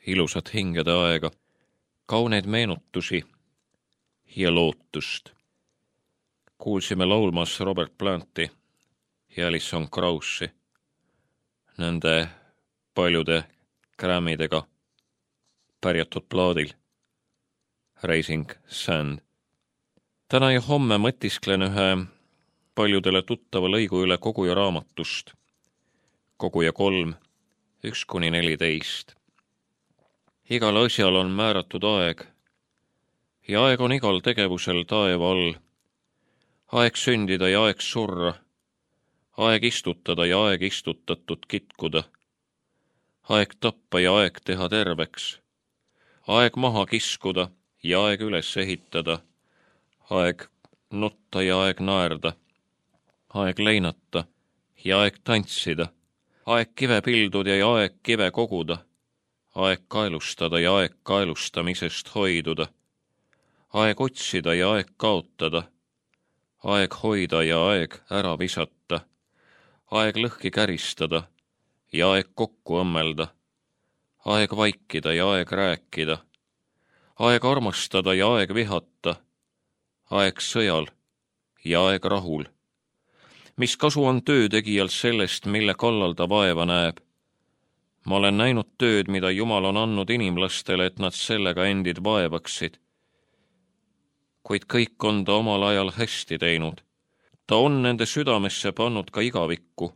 ilusat hingede aega, kauneid meenutusi ja lootust. Kuulsime laulmas Robert Planti ja Alison Krausi, nende paljude Grammydega pärjatud plaadil Raising Sand. Täna ja homme mõtisklen ühe paljudele tuttava lõigu üle Koguja raamatust, Koguja 3, 1-14. Igal asjal on määratud aeg ja aeg on igal tegevusel taeva all. Aeg sündida ja aeg surra, aeg istutada ja aeg istutatud kitkuda, aeg tappa ja aeg teha terveks, aeg maha kiskuda ja aeg üles ehitada, aeg nutta ja aeg naerda, aeg leinata ja aeg tantsida, aeg kive pilduda ja aeg kive koguda, aeg kaelustada ja aeg kaelustamisest hoiduda, aeg otsida ja aeg kaotada, aeg hoida ja aeg ära visata, aeg lõhki käristada ja aeg kokku õmmelda, aeg vaikida ja aeg rääkida, aeg armastada ja aeg vihata, aeg sõjal ja aeg rahul. Mis kasu on töötegijal sellest, mille kallal ta vaeva näeb? Ma olen näinud tööd, mida Jumal on andnud inimlastele, et nad sellega endid vaevaksid. Kuid kõik on ta omal ajal hästi teinud. Ta on nende südamesse pannud ka igavikku,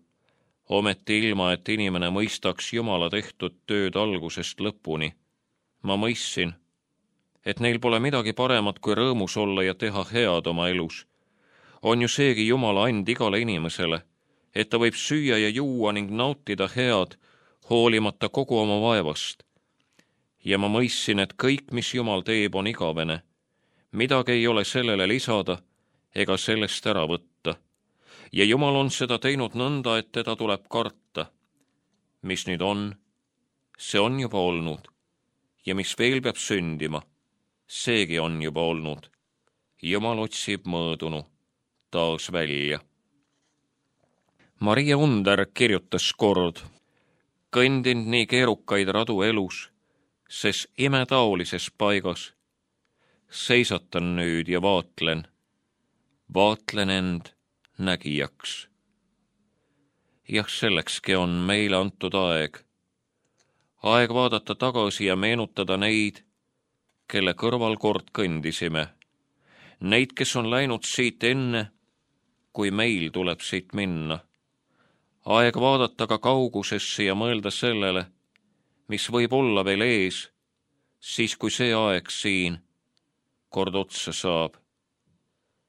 ometi ilma, et inimene mõistaks Jumala tehtud tööd algusest lõpuni. Ma mõistsin, et neil pole midagi paremat kui rõõmus olla ja teha head oma elus. On ju seegi Jumala and igale inimesele, et ta võib süüa ja juua ning nautida head, hoolimata kogu oma vaevast. Ja ma mõistsin, et kõik, mis Jumal teeb, on igavene. Midagi ei ole sellele lisada ega sellest ära võtta. Ja Jumal on seda teinud nõnda, et teda tuleb karta. Mis nüüd on, see on juba olnud. Ja mis veel peab sündima, seegi on juba olnud. Jumal otsib mõõdunu taas välja. Maria Under kirjutas kord: kõndinud nii keerukaid radu elus, ses imetaolises paigas. Seisatan nüüd ja vaatlen end nägijaks. Jah, sellekski on meile antud aeg. Aeg vaadata tagasi ja meenutada neid, kelle kõrval kord kõndisime. Neid, kes on läinud siit enne, kui meil tuleb siit minna. Aeg vaadata ka kaugusesse ja mõelda sellele, mis võib olla veel ees, siis kui see aeg siin kord otsa saab.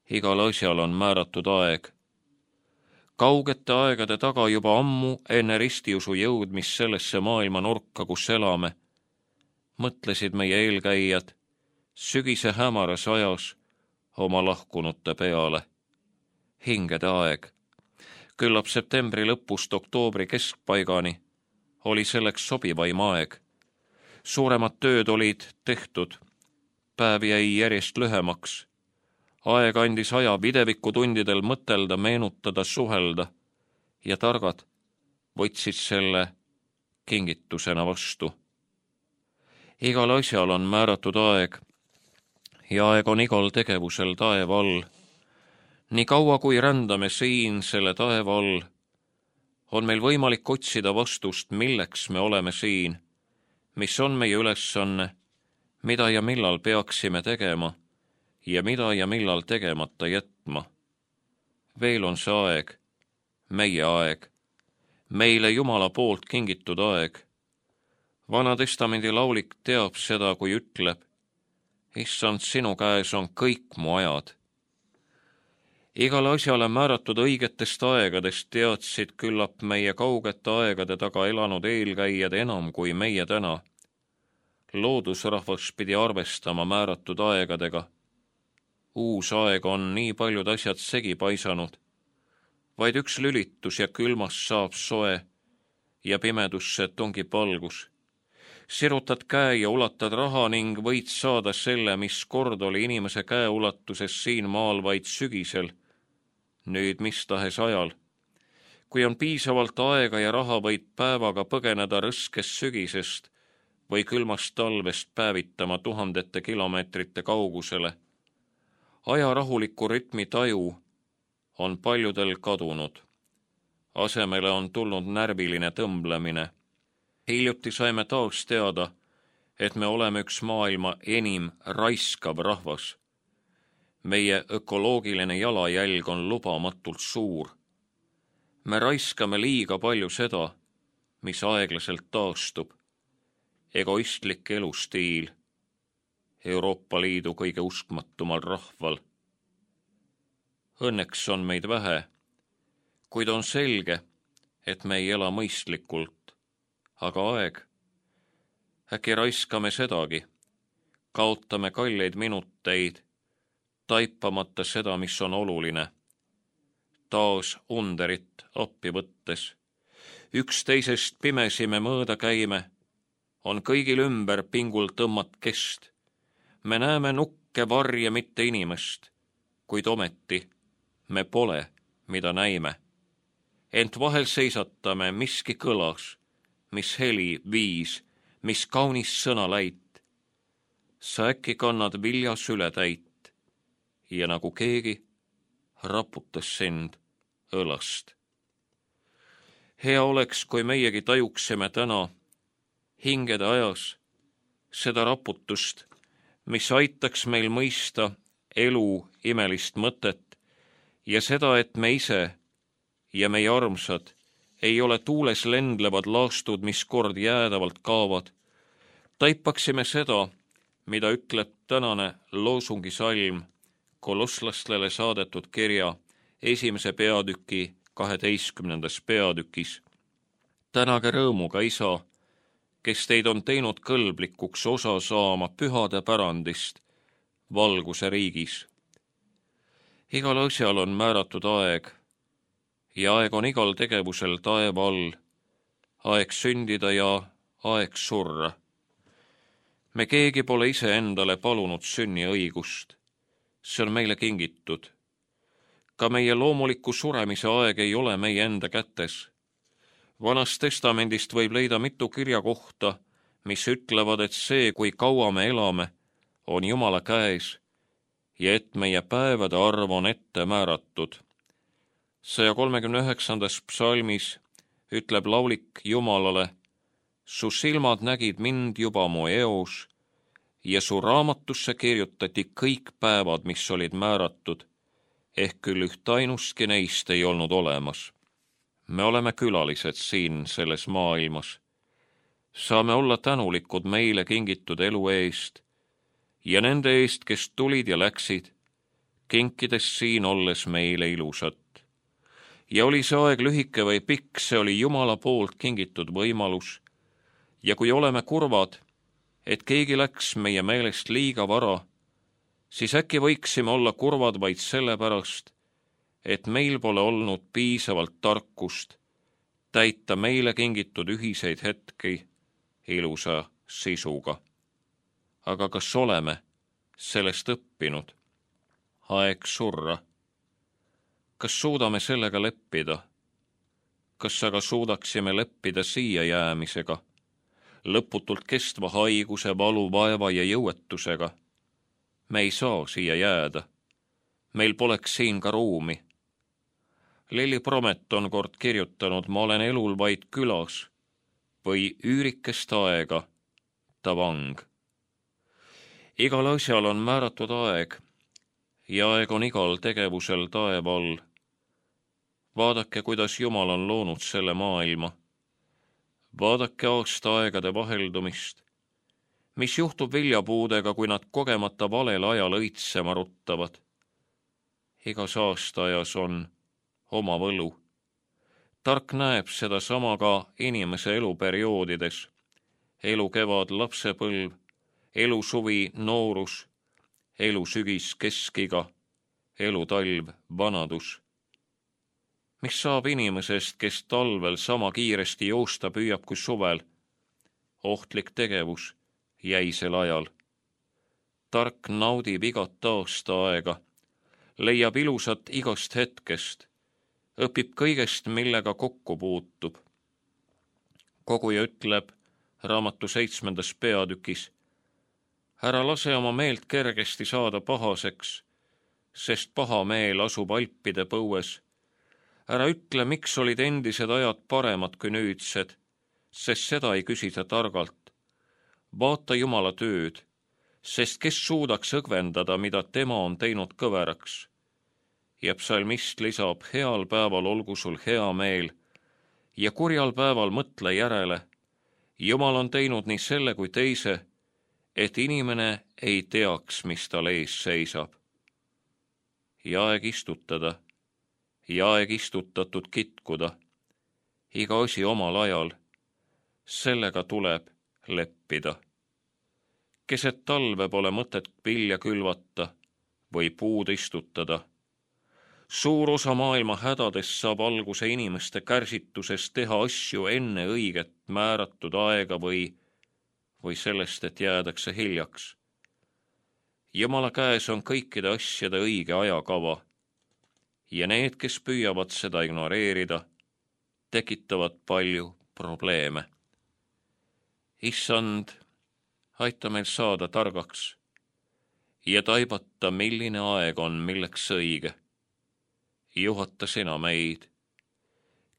Igal asjal on määratud aeg. Kaugete aegade taga juba ammu enne ristiusu jõudmist sellesse maailma nurka, kus elame, mõtlesid meie eelkäijad sügise hämaras ajas oma lahkunute peale. Hingede aeg, küllap septembri lõpust oktoobri keskpaigani, oli selleks sobivaim aeg. Suuremad tööd olid tehtud, päev jäi järjest lühemaks. Aeg andis aja videvikutundidel mõtelda, meenutada, suhelda ja targad võtsid selle kingitusena vastu. Igal asjal on määratud aeg ja aeg on igal tegevusel taeva all. Nii kaua, kui rändame siin selle taeva all, on meil võimalik otsida vastust, milleks me oleme siin, mis on meie ülesanne, mida ja millal peaksime tegema ja mida ja millal tegemata jätma. Veel on see aeg, meie aeg, meile Jumala poolt kingitud aeg. Vana testamendi laulik teab seda, kui ütleb: Issand, sinu käes on kõik mu ajad. Igale asjale määratud õigetest aegadest teadsid küllap meie kaugete aegade taga elanud eelkäijad enam kui meie täna. Loodusrahvas pidi arvestama määratud aegadega. Uus aeg on nii paljud asjad segi paisanud. Vaid üks lülitus ja külmast saab soe ja pimedusse tungib valgus. Sirutad käe ja ulatad raha ning võid saada selle, mis kord oli inimese käeulatuses siin maal vaid sügisel, nüüd mis tahes ajal. Kui on piisavalt aega ja raha, võid päevaga põgeneda rõskest sügisest või külmast talvest päevitama tuhandete kilomeetrite kaugusele. Aja rahuliku rütmi taju on paljudel kadunud. Asemele on tulnud närviline tõmblemine. Hiljuti saime taas teada, et me oleme üks maailma enim raiskav rahvas. Meie ökoloogiline jalajälg on lubamatult suur. Me raiskame liiga palju seda, mis aeglaselt taastub. Egoistlik elustiil Euroopa Liidu kõige uskmatumal rahval. Õnneks on meid vähe, kuid on selge, et me ei ela mõistlikult, aga aeg. Äkki raiskame sedagi, kaotame kalleid minuteid, taipamata seda, mis on oluline. Taas underit appi võttes. Üksteisest pimesi me mõõda käime, on kõigil ümber pingul tõmmat kest. Me näeme nukke, varje, mitte inimest, kuid ometi me pole, mida näime. Ent vahel seisatame, miski kõlas, mis heli viis, mis kaunis sõnaläit. Sa äkki kannad vilja sületäit ja nagu keegi raputas sind õlast. Hea oleks, kui meiegi tajuksime täna hingede ajas seda raputust, mis aitaks meil mõista elu imelist mõtet ja seda, et me ise ja meie armsad ei ole tuules lendlevad laastud, mis kord jäädavalt kaavad. Taipaksime seda, mida ütleb tänane loosungisalm kolosslastele saadetud kirja 1. peatüki 12. peatükis. Tänage rõõmuga, isa, kes teid on teinud kõlblikuks osa saama pühade pärandist valguse riigis. Igal asjal on määratud aeg ja aeg on igal tegevusel taeva all, aeg sündida ja aeg surra. Me keegi pole ise endale palunud sünniõigust, see on meile kingitud. Ka meie loomuliku suremise aeg ei ole meie enda kätes. Vanast testamendist võib leida mitu kirjakohta, mis ütlevad, et see, kui kaua me elame, on Jumala käes ja et meie päevade arv on ette määratud. 139. psalmis ütleb laulik Jumalale: su silmad nägid mind juba mu eos ja su raamatusse kirjutati kõik päevad, mis olid määratud, ehk küll ühtainustki neist ei olnud olemas. Me oleme külalised siin selles maailmas. Saame olla tänulikud meile kingitud elu eest ja nende eest, kes tulid ja läksid, kinkides siin olles meile ilusat. Ja oli see aeg lühike või pikk, see oli Jumala poolt kingitud võimalus. Ja kui oleme kurvad, et keegi läks meie meelest liiga vara, siis äkki võiksime olla kurvad vaid sellepärast, et meil pole olnud piisavalt tarkust täita meile kingitud ühiseid hetki ilusa sisuga. Aga kas oleme sellest õppinud? Aeg surra. Kas suudame sellega leppida? Kas aga suudaksime leppida siia jäämisega, lõputult kestva haiguse, valu, vaeva ja jõuetusega? Me ei saa siia jääda. Meil poleks siin ka ruumi. Lilli Promet on kord kirjutanud: ma olen elul vaid külas või üürikest aega ta vang. Igal asjal on määratud aeg ja aeg on igal tegevusel taeva all. Vaadake, kuidas Jumal on loonud selle maailma. Vaadake aastaaegade vaheldumist. Mis juhtub viljapuudega, kui nad kogemata valel ajal õitsema ruttavad? Igas aastaajas on oma võlu. Tark näeb seda sama ka inimese eluperioodides. Elu kevad, lapsepõlv, elu suvi, noorus, elu sügis, keskiga, elu talv, vanadus. Mis saab inimesest, kes talvel sama kiiresti joosta püüab kui suvel? Ohtlik tegevus jäisel ajal. Tark naudib igat aastaaega, leiab ilusat igast hetkest, õpib kõigest, millega kokku puutub. Koguja ütleb: raamatu 7. peatükis. Ära lase oma meelt kergesti saada pahaseks, sest paha meel asub alpide põues. Ära ütle, miks olid endised ajad paremad kui nüüdsed, sest seda ei küsita targalt. Vaata Jumala tööd, sest kes suudaks õgvendada, mida tema on teinud kõveraks. Ja psalmist lisab, heal päeval olgu sul hea meel ja kurjal päeval mõtle järele. Jumal on teinud nii selle kui teise, et inimene ei teaks, mis tal ees seisab. Ja aeg istutada, ja aeg istutatud kitkuda, iga asi omal ajal, sellega tuleb leppida. Keset talve pole mõtet vilja külvata või puud istutada. Suur osa maailma hädadest saab alguse inimeste kärsitusest teha asju enne õiget määratud aega või sellest, et jäädakse hiljaks. Jumala käes on kõikide asjade õige ajakava ja need, kes püüavad seda ignoreerida, tekitavad palju probleeme. Issand, aita meil saada targaks ja taibata, milline aeg on milleks õige. Juhata sina meid.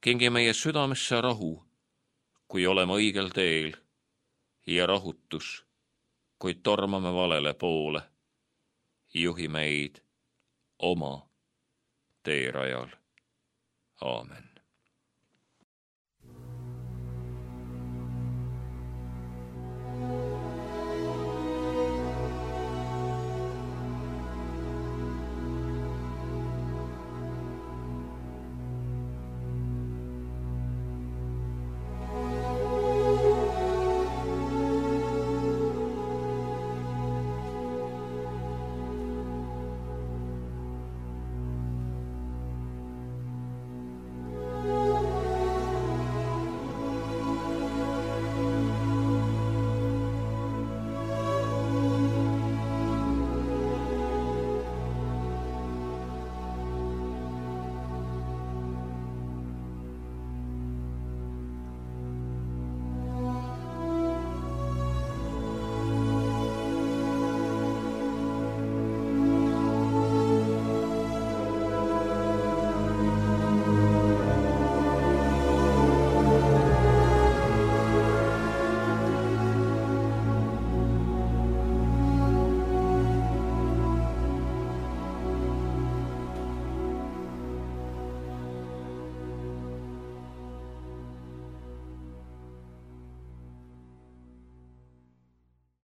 Kingi meie südamesse rahu, kui oleme õigel teel, ja rahutus, kui tormame valele poole. Juhi meid oma teerajal. Aamen.